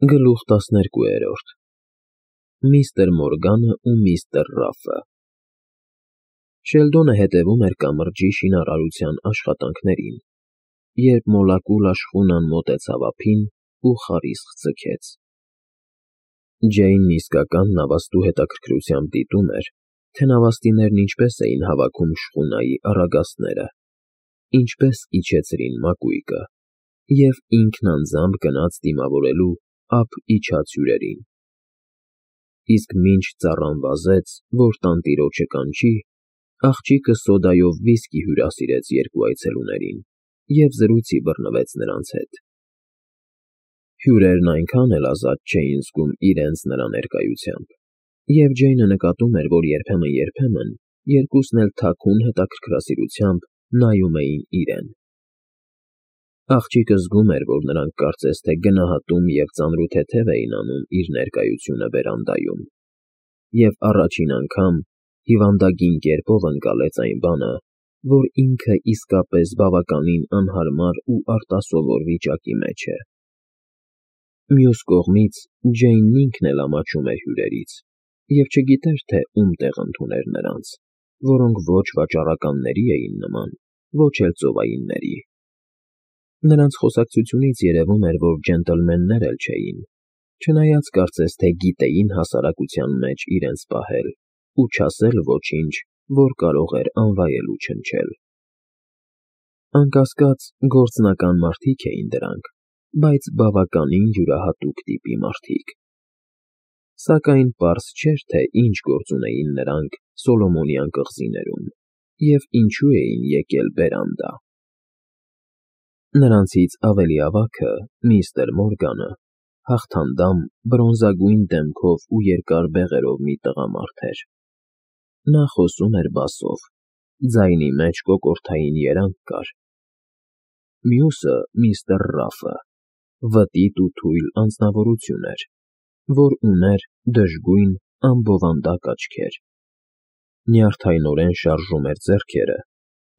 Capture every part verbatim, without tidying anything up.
Գլուխ տասներկուերորդ Միստր Մորգանը ու միստր Ռաֆը Շելդոնը հետևում էր կամրջի շինարարության աշխատանքներին, երբ մոլակულ աշխունան մոտեցավ ափին ու խարիսկ ձգեց։ Ջեյնն իսկական նավաստու հետաքրքրությամբ դիտում էր, թե նավաստիներն ինչպես էին հավաքում շխունայի առագաստները, ինչպես իջեցրին մակույկը, և ինքն անձամբ գնաց դիմավորելու ափ իջած հյուրերին։ Իսկ մինչ ծառան վազեց, որ տանտիրոջը կանչի, աղջիկը սոդայով վիսկի հյուրասիրեց երկու այցելուներին և զրույցի բռնվեց նրանց հետ։ Հյուրերն այնքան էլ ազատ չէին զգում իրենց նրա ներկայությամբ, և Ջեյնը նկատում էր, որ երբեմն-երբեմն երկուսն էլ թաքուն հետաքրքրասիրությամբ նայում էին իրեն։ Աղջիկը զգում էր, որ նրանք կարծես թե գնահատում և ծանրութեթև էին անում իր ներկայությունը վերանդայում, և առաջին անգամ հիվանդագին կերպով ընկալեց այն բանը, որ ինքը իսկապես բավականին անհարմար ու արտասովոր վիճակի մեջ է։ Մյուս կողմից Ջեյնն ինքն էլ ամաչում էր հյուրերից և չգիտեր, թե ում տեղ ընդուներ նրանց, որոնք ոչ վաճառականների էին նման, ոչ էլ ծովայինների։ Նրանց խոսակցությունից երևում էր, որ ջենտլմեններ էլ չէին, չնայած կարծես թե գիտեին հասարակության մեջ իրենց պահել ու չասել ոչինչ, որ կարող էր անվայելու չնչել։ Անկասկած, գործնական մարդիկ էին դրանք, բայց բավականին յուրահատուկ տիպի մարդիկ։ Սակայն պարզ չէր, թե ինչ գործ ունեին նրանք Սոլոմոնյան կղզիներում և ինչու էին եկել բերանդա։ Նրանցից ավելի ավագը, միստր Մորգանը, հաղթանդամ, բրոնզագույն դեմքով ու երկար բեղերով մի տղամարդ էր։ Նա խոսում էր բասով, ձայնի մեջ կոկորդային երանգ կար։ Մյուսը միստր Ռաֆը վտիտ ու թույլ անձնավորություն էր, որ ուներ դժգույն, անբովանդակ աչքեր, նյարդայնորեն շարժում էր ձեռքերը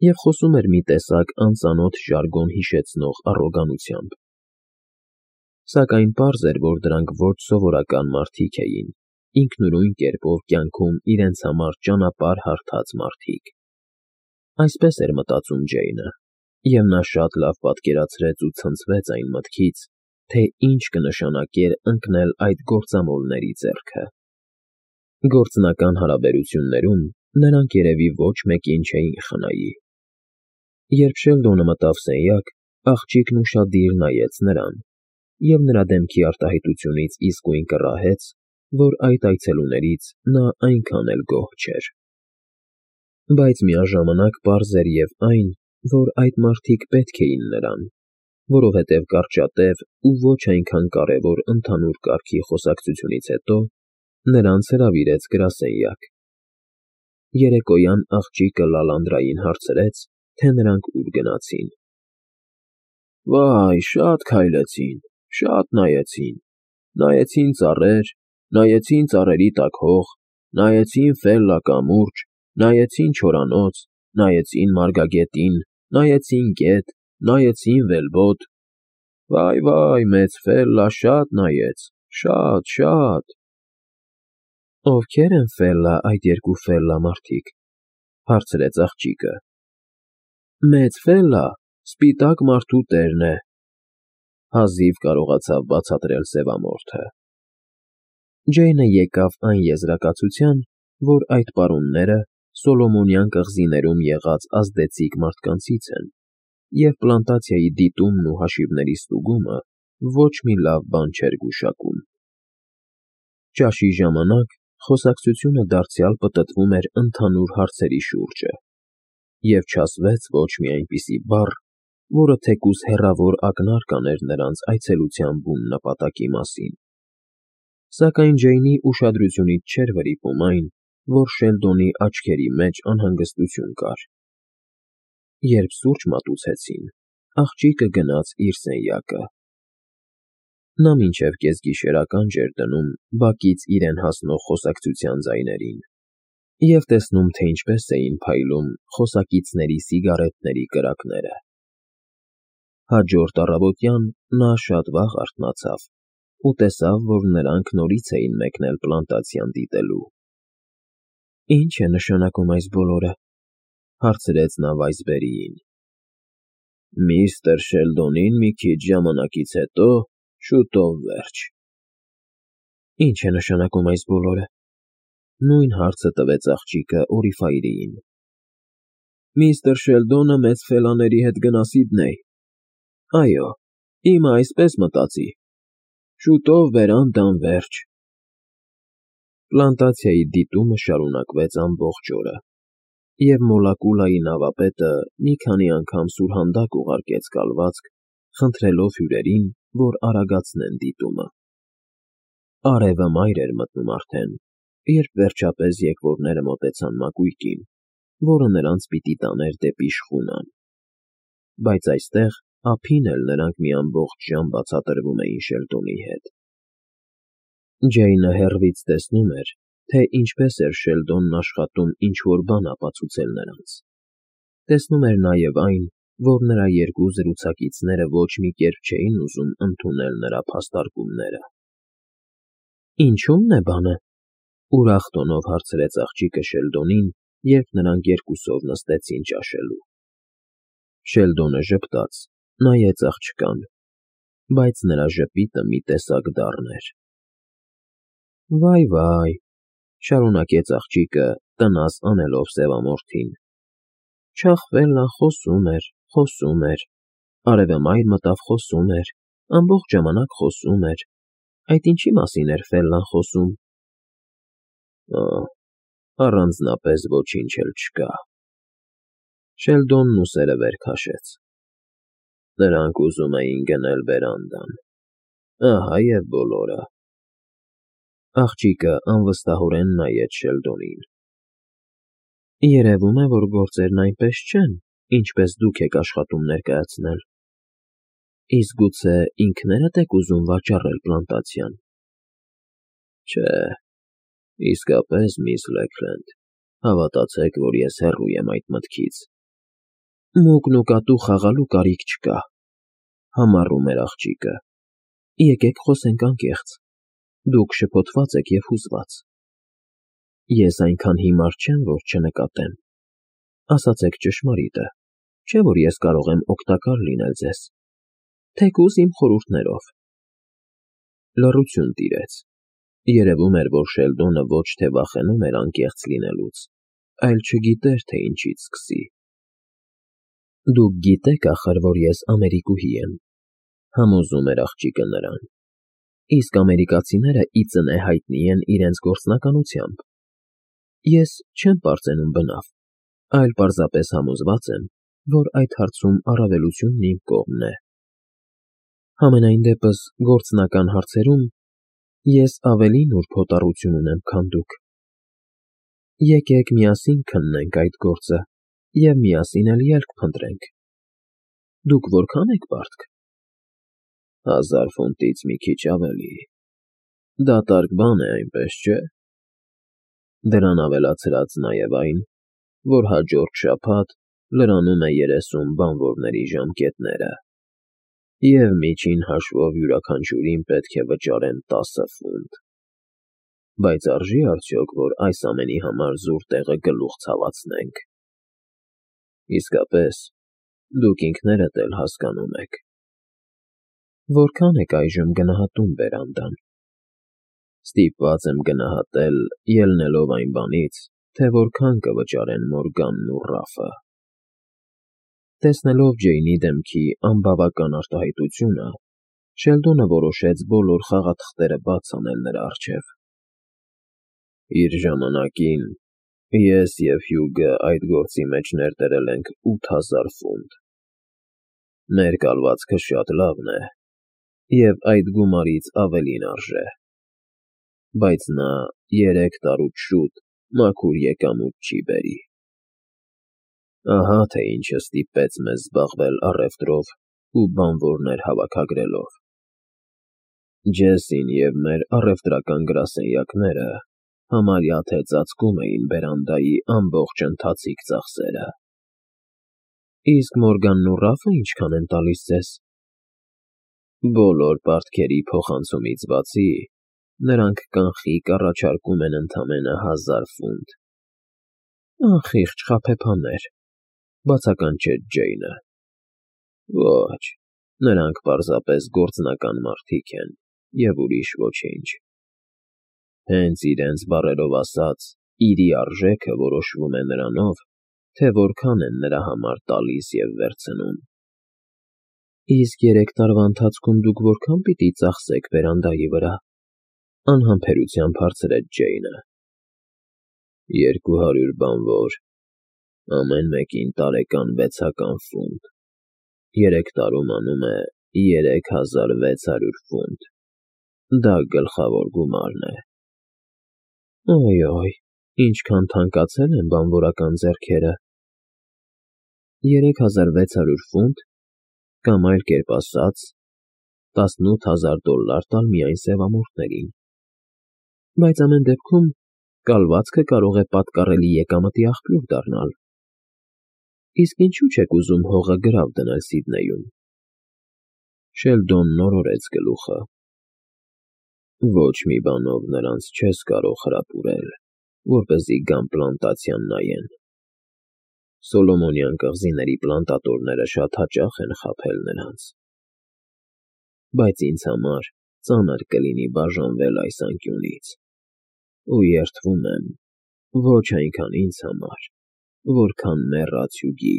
և խոսում էր մի տեսակ անծանոթ ժարգոն հիշեցնող առոգանությամբ։ Սակայն պարզ էր, որ դրանք ոչ սովորական մարդիկ էին, ինքնուրույն կերպով կյանքում իրենց համար ճանապարհ հարթած մարդիկ։ Այսպես էր մտածում Ջեյնը, և նա շատ լավ պատկերացրեց ու ցնցվեց այն մտքից, թե ինչ կնշանակեր ընկնել այդ գործամոլների ձեռքը։ Գործնական հարաբերություններում նրանք երևի ոչ մեկին չէին խնայի։ Երբ Շելդոնը մտավ սենյակ, աղջիկն ուշադիր նայեց նրան, և նրա դեմքի արտահայտությունից իսկույն կռահեց, որ այդ այցելուներից նա այնքան էլ գոհ չէր։ Բայց միաժամանակ պարզ էր և այն, որ այդ մարդիկ պետք էին նրան, որովհետև կարճատև ու ոչ այնքան կարևոր ընդհանուր կարգի խոսակցությունից հետո նրանց հրավիրեց գրասենյակ։ Երեկոյան աղջիկը Լալանդրային հարցրեց, թե նրանք ուր գնացին։ Վայ, շատ քայլեցին, շատ նայեցին, նայեցին ծառեր, նայեցին ծառերի տակ հող, նայեցին Ֆելլա կամուրջ, նայեցին չորանոց, նայեցին մարգագետին, նայեցին գետ, նայեցին վելբոտ։ Վայ, մեծ Ֆելլա շատ նայեց, շատ, շատ։ Ովքե՞ր են Ֆելլա այդ երկու Ֆելլա մարդիկ, հարցրեց աղջիկը։ Մեծ Ֆելլա սպիտակ մարդու տերն է, հազիվ կարողացավ բացատրել սևամորթը։ Ջեյնը եկավ այն եզրակացության, որ այդ պարոնները Սոլոմոնյան կղզիներում եղած ազդեցիկ մարդկանցից են, և պլանտացիայի դիտումն ու հաշիվների ստուգումը ոչ մի լավ բան չէր գուշակում։ Ճաշի ժամանակ խոսակցությունը դարձյալ պտտվում էր ընդհանուր հարցերի շուրջը, և չասվեց ոչ մի այնպիսի բառ, որը թեկուզ հեռավոր ակնարկ աներ նրանց այցելության բուն նպատակի մասին։ Սակայն Ջեյնի ուշադրությունից չէր վրիպում այն, որ Շելդոնի աչքերի մեջ անհանգստություն կար։ Երբ սուրճ մատուցեցին, աղջիկը գնաց իր սենյակը։ Նա մինչև կեսգիշեր ականջ էր դնում բակից իրեն հասնող խոսակցության ձայներին և տեսնում, թե ինչպես էին փայլում խոսակիցների սիգարետների կրակները։ Հաջորդ առավոտյան նա շատ վաղ արթնացավ ու տեսավ, որ նրանք նորից էին մեկնել պլանտացիան դիտելու։ «Ի՞նչ է նշանակում այս բոլորը», հարցրեց նա Վայսբերիին։ «Միստր Շելդոնին մի քիչ ժամանակից հետո շուտով վերջ»։ «Ի՞նչ է նշանակում այս բոլորը», նույն հարցը տվեց աղջիկը Օրիֆայրիին։ «Միստր Շելդոնը մեծ ֆելաների հետ գնա Սիդնեյ։ Այո, իմը այսպես մտածի. շուտով բերան տանվերջ»։ Պլանտացիայի դիտումը շարունակվեց ամբողջ օրը, և Մոլակուլայի նավապետը մի քանի անգամ սուրհանդակ ուղարկեց կալվածք, խնդրելով հյուրերին, որ արագացնեն դիտումը։ Արևը մայր էր մտնում արդեն, երբ վերջապես եկվորները մոտեցան մակույկին, որը նրանց պիտի տաներ դեպի շխունան։ Բայց այստեղ ափին էլ նրանք մի ամբողջ ժամ բացատրվում էին Շելդոնի հետ։ Ջեյնը հեռվից տեսնում էր, թե ինչպես էր Շելդոնն աշխատում ինչ-որ բան ապացուցել նրանց։ Տեսնում էր նաև այն, որ նրա երկու զրուցակիցները ոչ մի կերպ չէին ուզում ընդունել նրա փաստարկումները։ «Ինչո՞ւմն է բանը», ուրախ տոնով հարցրեց աղջիկը Շելդոնին, երբ նրանք երկուսով նստեցին ճաշելու։ Շելդոնը ժպտաց, նայեց աղջկան, բայց նրա ժպիտը մի տեսակ դառն էր։ «Վայ, վայ», շարունակեց աղջիկը, տնազ անելով սևամորթին, «Չախվելն խոսում էր, խոսում էր, արևը մայր մտավ խոսում էր, ամբողջ ժամանակ խոսում էր, այդ ինչի մասին էր Ֆելլան խոսում»։ «Ա, առանձնապես ոչինչ էլ չկա»։ Շելդոնն ուսերը վեր քաշեց։ «Նրանք ուզում էին գնել բերանդան, ահա և բոլորը»։ Աղջիկը անվստահորեն նայեց Շելդոնին։ «Երևում է, որ գործերն այնպես չեն, ինչպես դուք եք աշխատում ներկայացնել։ Իսկ գուցե ինքներդ եք ուզում վաճառել պլանտացիան»։ «Չէ, իսկապես, միս Լեքլենդ, հավատացեք, որ ես հեռու եմ այդ մտքից»։ «Մուկն ու կատու խաղալու կարիք չկա», համառում էր աղջիկը։ «Եկեք խոսենք անկեղծ, դուք շփոթված եք և հուզված։ Ես այնքան հիմար չեմ, որ չնկատեմ։ Ասացեք ճշմարիտը, չէ՞ որ ես կարող եմ օգտակար լինել ձեզ, թեկուզ իմ խորհուրդներով»։ Լռություն տիրեց։ Երևում էր, որ Շելդոնը ոչ թե վախենում էր անկեղծ լինելուց, այլ չգիտեր, թե ինչից սկսի։ «Դուք գիտեք, ախր, որ ես ամերիկուհի եմ», համոզում էր աղջիկը նրան, «իսկ ամերիկացիները ի ծնե հայտնի են իրենց գործնականությամբ։ Ես չեմ պարծենում բնավ, այլ պարզապես համոզված եմ, որ այդ հարցում առավելությունն իմ կողմն է։ Համենայն դեպս, գործնական հարցերում ես ավելի նուրբ հոտառություն ունեմ, քան դուք։ Եկեք միասին քննենք այդ գործը և միասին էլ ելք փնտրենք։ Դուք որքա՞ն եք պարտք»։ «Հազար ֆունտից մի քիչ ավելի։ Դատարկ բան է, այնպես չէ՞։ Դրան ավելացրած նաև այն, որ հաջորդ շաբաթ լրանում է երեսուն բանվորների ժամկետները, և միջին հաշվով յուրաքանչյուրին պետք է վճարեմ տասը ֆունտ։ Բայց արժի՞ արդյոք, որ այս ամենի համար զուր տեղը գլուխ ցավացնենք։ Իսկապես, դուք ինքներդ էլ հասկանում եք»։ «Որքան եք այժմ գնահատում բերանդան»։ «Ստիպված եմ գնահատել, ելնելով այն բանից, թե որքան կվճարեն Մորգանն ու Ռաֆը»։ Տեսնելով Ջեյնի դեմքի անբավական արտահայտությունը, Շելդոնը որոշեց բոլոր խաղաթղթերը բաց անել նրա առջև։ «Իր ժամանակին ես և Հյուգը այդ գործի մեջ ներդրել ենք ութ հազար ֆունտ։ Մեր կալվածքը շատ լավն է, և այդ գումարից ավելին արժե։ Բայց նա երեք տարուց շուտ մաքուր եկամուտ չի բերի։ Ահա թե ինչը ստիպեց մեզ զբաղվել առևտրով ու բանվորներ հավաքագրելով։ Ջեսին և մեր առևտրական գրասենյակները համարյա թե ծածկում էին բերանդայի ամբողջ ընթացիկ ծախսերը»։ «Իսկ Մորգանն ու Ռաֆը ինչքան են տալիս ձեզ»։ Բոլոր պարտքերի փոխանցումից բացի, նրանք կանխիկ առաջարկում են ընդամենը հազար ֆունտ։ Անխիղճ խաբեբաներ, բացականչեց Ջեյնը։ Ոչ, նրանք պարզապես գործնական մարդիկ են և ուրիշ ոչինչ։ Հենց իրենց բառերով ասած, իրի արժեքը որոշվում է նրանով, թե որքան են նրա համար տալիս և վերցնում։ Իսկ երեք տարվա ընթացքում դուք որքա՞ն պիտի ծախսեք բերանդայի վրա,֊ անհամբերությամբ հարցրեց Ջեյնը։ Երկու հարյուր բանվոր, ամեն մեկին տարեկան վեցական ֆունտ, երեք տարում անում է երեք հազար վեց հարյուր ֆունտ, դա գլխավոր գումարն է։ Օյ-օյ, ինչքան թանկացել են բանվորական ձեռքերը։ Երեք հազար վեց հարյուր ֆունտ, կամ այլ կերպ ասած, տասնութ հազար դոլլար տալ միայն սևամորթներին, բայց ամեն դեպքում կալվածքը կարող է պատկառելի եկամտի աղբյուր դառնալ։ Իսկ ինչու՞ չեք ուզում հողը գրավ դնել Սիդնեյում։ Շելդոնն օրորեց գլուխը։ Ոչ մի բանով նրանց չես կարող հրապուրել, որպեսզի գան պլանտացիան նայեն։ Սոլոմոնյան կղզիների պլանտատորները շատ հաճախ են խաբել նրանց։ Բայց ինձ համար ծանր կլինի բաժանվել այս անկյունից, ու երդվում եմ, ոչ այնքան ինձ համար, որքան մեռած հյուգի։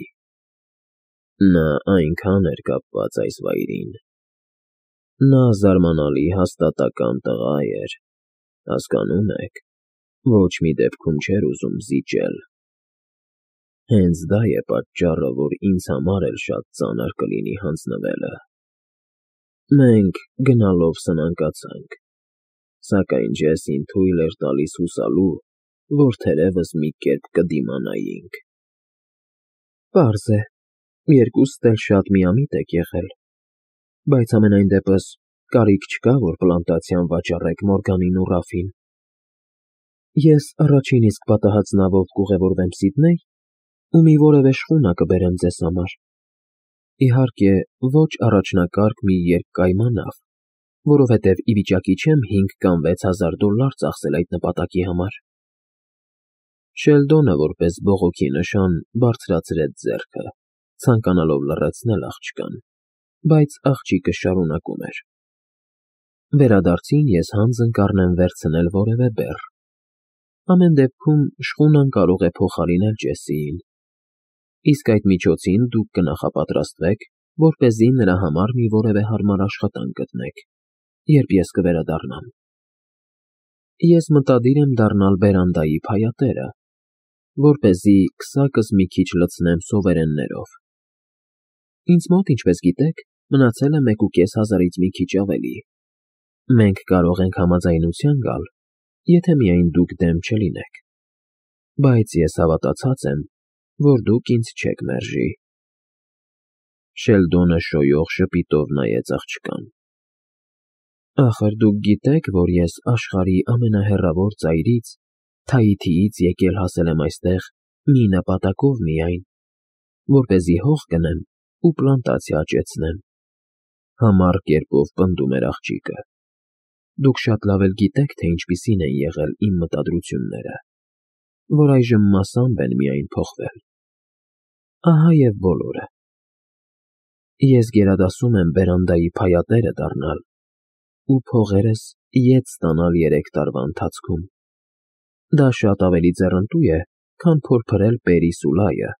Նա այնքան էր կապված այս վայրին։ Նա զարմանալի հաստատակամ տղա էր, հասկանո՞ւմ եք, ոչ մի դեպքում չէր ուզում զիջել։ Հենց դա է պատճառը, որ ինձ համար էլ շատ ծանր կլինի հանձնվելը։ Մենք գնալով սնանկացանք, սակայն Ջեսին թույլ էր տալիս հուսալու, որ թերևս մի կերպ կդիմանայինք։ Պարզ է, երկուստ էլ շատ միամիտ եք եղել, բայց համենայն դեպս կարիք չկա, որ պլանտացիան վաճառեք Մորգանին ու Ռաֆին։ Ես առաջին իսկ պատահած նավով կուղևորվեմ Սիդնեյ ու մի որևէ շխունա կբերեմ ձեզ համար։ Իհարկե, ոչ առաջնակարգ մի երկկայմա նավ, որովհետև ի վիճակի չեմ հինգ կամ վեց հազար դոլլար ծախսել այդ նպատակի համար։ Շելդոնը որպես բողոքի նշան բարձրացրեց ձեռքը, ցանկանալով լռեցնել աղջկան, բայց աղջիկը շարունակում էր. Վերադարձին ես հանձն կառնեմ վերցնել որևէ բեռ։ Ամեն դեպքում շխունան կարող է փոխարինել Ջեսիին։ Իսկ այդ միջոցին դուք կնախապատրաստվեք, որպեսզի նրա համար մի որևէ հարմար աշխատանք գտնեք, երբ ես կվերադառնամ։ Ես մտադիր եմ դառնալ բերանդայի փայատերը, որպեսզի քսակս մի քիչ լցնեմ սովերեններով։ Ինձ մոտ, ինչպես գիտեք, մնացել է մեկ ու կես հազարից մի քիչ ավելի։ Մենք կարող ենք համաձայնության գալ, եթե միայն դուք դեմ չլինեք։ Բայց ես հավատացած եմ, որ դուք ինձ չեք մերժի։ Շելդոնը շոյող ժպիտով նայեց աղջկան։ Ախր դուք գիտեք, որ ես աշխարհի ամենահեռավոր ծայրից, Թայիթիից եկել հասել եմ այստեղ մի նպատակով միայն, որպեսզի հող գնեմ ու պլանտացիա աճեցնեմ։ Համառ կերպով պնդում էր աղջիկը։ Դուք շատ լավ էլ գիտեք, թե ինչպիսին են եղել իմ մտադրությունները, որ այժմ մասամբ են միայն փոխվել։ Ահա և բոլորը։ Ես գերադասում եմ բերանդայի փայատերը դառնալ ու փողերս ետ ստանալ երեք տարվա ընթացքում։ Դա շատ ավելի ձեռնտու է, քան փորփրել Պերի Սուլայը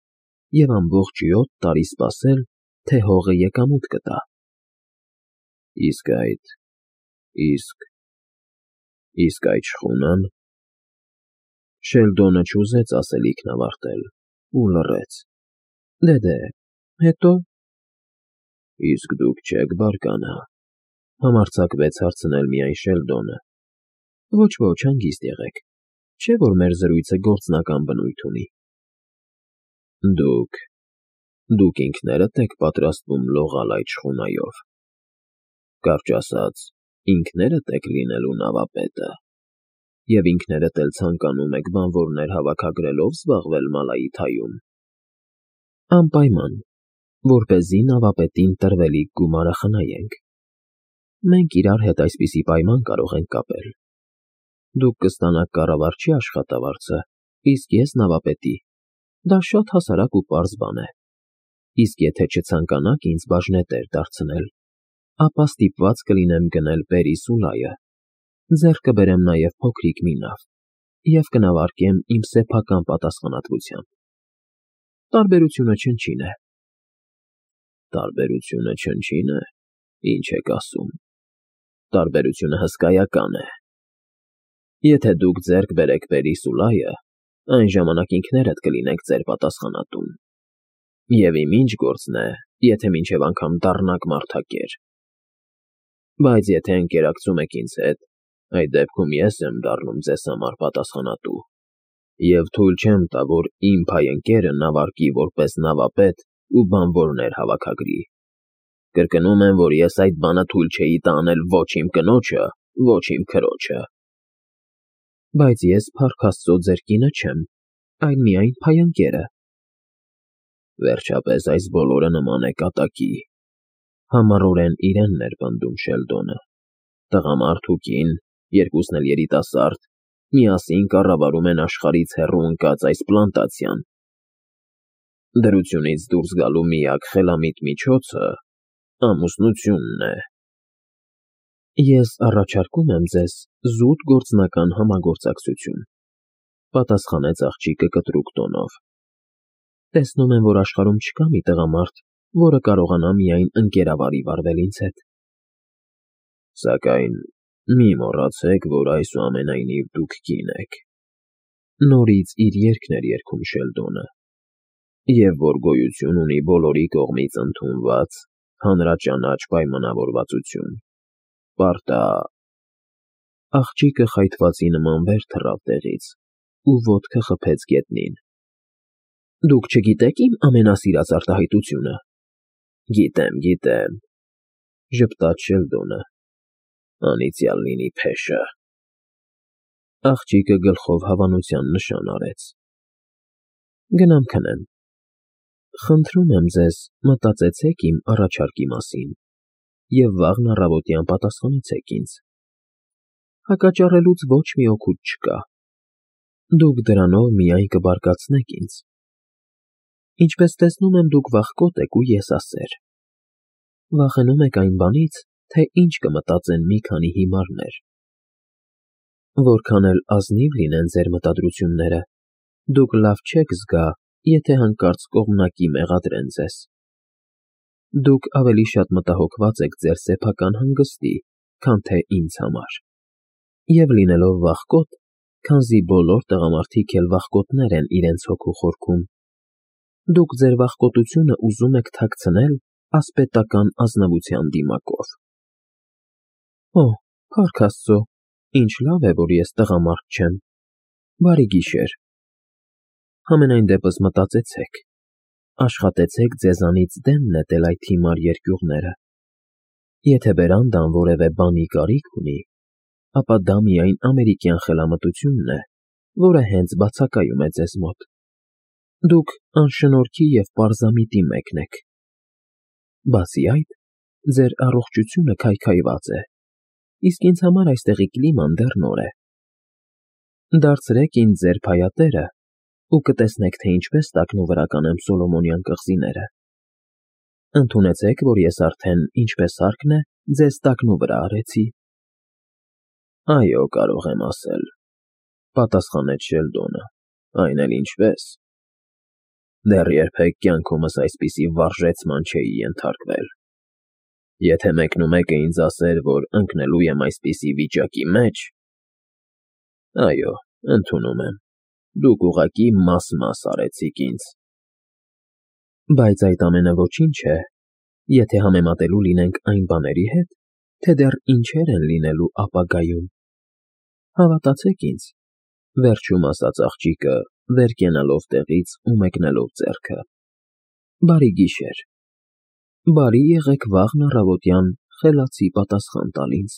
և ամբողջ յոթ տարի սպասել, թե հողը եկամուտ կտա։ Իսկ այդ… իսկ… իսկ այդ շխունա՞ն… Շելդոնը չուզեց ասելիքն ավարտել ու լռեց։ Դե, հետո՞։ Իսկ դուք չեք բարկանա, համարձակվեց հարցնել միայն Շելդոնը։ Ոչ, ոչ, հանգիստ եղեք, չէ՞ որ մեր զրույցը գործնական բնույթ ունի։ Դուք… դուք ինքներդ եք պատրաստվում լողալ այդ շխունայով։ Կարճ ասած, ինքներդ եք լինելու նավապետը, և ինքներդ էլ ցանկանում եք բանվորներ հավաքագրելով զբաղվել Մալայիթայում։ Անպայման, որպեսզի նավապետին տրվելիք գումարը խնայենք։ մենք իրար հետ այսպիսի պայման կարող ենք կապել. դուք կստանաք կառավարչի աշխատավարձը, իսկ ես նավապետի, դա շատ հասարակ ու պարզ բան է, իսկ եթե չցանկանաք ինձ բաժնետեր դարձնել, ապա ստիպված կլինեմ գնել Պերիսուլայը, ձեռք կբերեմ նաև փոքրիկ մի նավ և կնավարկեմ իմ սեփական պատասխանատվությամբ։ Տարբերությունը չնչին է։ Տարբերությունը չնչին է, ինչ եք ասում, տարբերությունը հսկայական է։ Եթե դուք ձեռք բերեք Պերիսուլայը, այն ժամանակ ինքներդ կլինեք ձեր պատասխանատուն։ Եվ իմ ինչ գործն է, եթե մինչև անգամ դառնաք մարդակեր։ Բայց եթե ընկերակցում եք ինձ հետ, այդ դեպքում ես եմ դառնում ձեզ համար պատասխանատու, և թույլ չեմ տա, որ իմ փայընկերը նավարկի որպես նավապետ ու բանվորներ հավաքագրի։ Կրկնում եմ, որ ես այդ բանը թույլ չէի տա անել ոչ իմ կնոջը, ոչ իմ քրոջը։ Բայց ես, փառք Աստծո, ձեր կինը չեմ, այլ միայն փայընկերը։ Վերջապես այս բոլորը նման է կատակի, համառորեն իրենն էր պնդում Շելդոնը, տղամարդ ու կին, երկուսն էլ երիտասարդ, միասին կառավարում են աշխարհից հեռու ընկած այս պլանտացիան։ Դրությունից դուրս գալու միակ խելամիտ միջոցը ամուսնությունն է։ Ես առաջարկում եմ ձեզ զուտ գործնական համագործակցություն, պատասխանեց աղջիկը կտրուկ տոնով։ Տեսնում եմ, որ աշխարհում չկա մի տղամարդ, որը կարողանա միայն ընկերավարի վարվել ինձ հետ։ Սակայն մի մոռացեք, որ այսուամենայնիվ դուք կին եք։ Նորից իր երգն էր երգում Շելդոնը, և որ գոյություն ունի բոլորի կողմից ընդունված հանրաճանաչ պայմանավորվածություն։ Պարտա… Աղջիկը խայթվածի նման վեր թռավ տեղից ու ոտքը խփեց գետնին։ Դուք չգիտեք իմ ամենասիրած արտահայտությունը։ Գիտեմ, գիտեմ, ժպտաց Շելդոնը, անիծյալ լինի փեշը։ Աղջիկը գլխով հավանության նշան արեց։ Գնամ քնեմ։ Խնդրում եմ ձեզ, մտածեցեք իմ առաջարկի մասին և վաղն առավոտյան պատասխանեցեք ինձ։ Հակաճառելուց ոչ մի օգուտ չկա։ Դուք դրանով միայն կբարկացնեք ինձ։ Ինչպես տեսնում եմ, դուք վախկոտ եք ու եսասեր։ Վախենում եք այն բանից, թե ինչ կմտածեն մի քանի հիմարներ։ Որքան էլ ազնիվ լինեն ձեր մտադրությունները, դուք լավ չեք զգա, եթե հանկարծ կողմնակի մեղադրեն ձեզ։ Դուք ավելի շատ մտահոգված եք ձեր սեփական հանգստի, քան թե ինձ համար։ Եվ լինելով վախկոտ, քանզի բոլոր տղամարդիկ էլ վախկոտներ են իրենց հոգու խորքում, դուք ձեր վախկոտությունը ուզում եք թաքցնել ասպետական ազնվության դիմակով։ Օ, փառք Աստծո, ինչ լավ է, որ ես տղամարդ չեմ։ Բարի գիշեր։ Համենայն դեպս մտածեցեք, աշխատեցեք ձեզանից դեն նետել այդ հիմար երկյուղները։ Եթե բերանդան որևէ բանի կարիք ունի, ապա դա միայն ամերիկյան խելամտությունն է, որը հենց բացակայում է ձեզ մոտ։ Դուք անշնորհքի և պարզամիտի մեկն եք։ Բացի այդ, ձեր առողջությունը քայքայված է, իսկ ինձ համար այստեղի կլիման դեռ նոր է։ Դարձրեք ինձ ձեր փայատերը ու կտեսնեք, թե ինչպես տակնու վրա կանեմ Սոլոմոնյան կղզիները։ Ընդունեցեք, որ ես արդեն, ինչպես հարկն է, ձեզ տակնու վրա արեցի։ Այո, կարող եմ ասել, պատասխանեց Շելդոնը, այն էլ ինչպես։ Դեռ երբեք կյանքումս այսպիսի վարժեցման չէի ենթարկվել։ Եթե մեկնումեկը ինձ ասեր, որ ընկնելու եմ այսպիսի վիճակի մեջ… Այո, ընդունում եմ, դուք ուղղակի մաս֊մաս արեցիք ինձ։ Բայց այդ ամենը ոչինչ է, եթե համեմատելու լինենք այն բաների հետ, թե դեռ ինչեր են լինելու ապագայում։ Հավատացեք ինձ, վերջում ասաց աղջիկը, վեր կենալով տեղից ու մեկնելով ձեռքը։ Բարի գիշեր։ Բարի եղեք վաղն առավոտյան խելացի պատասխան տալ ինձ։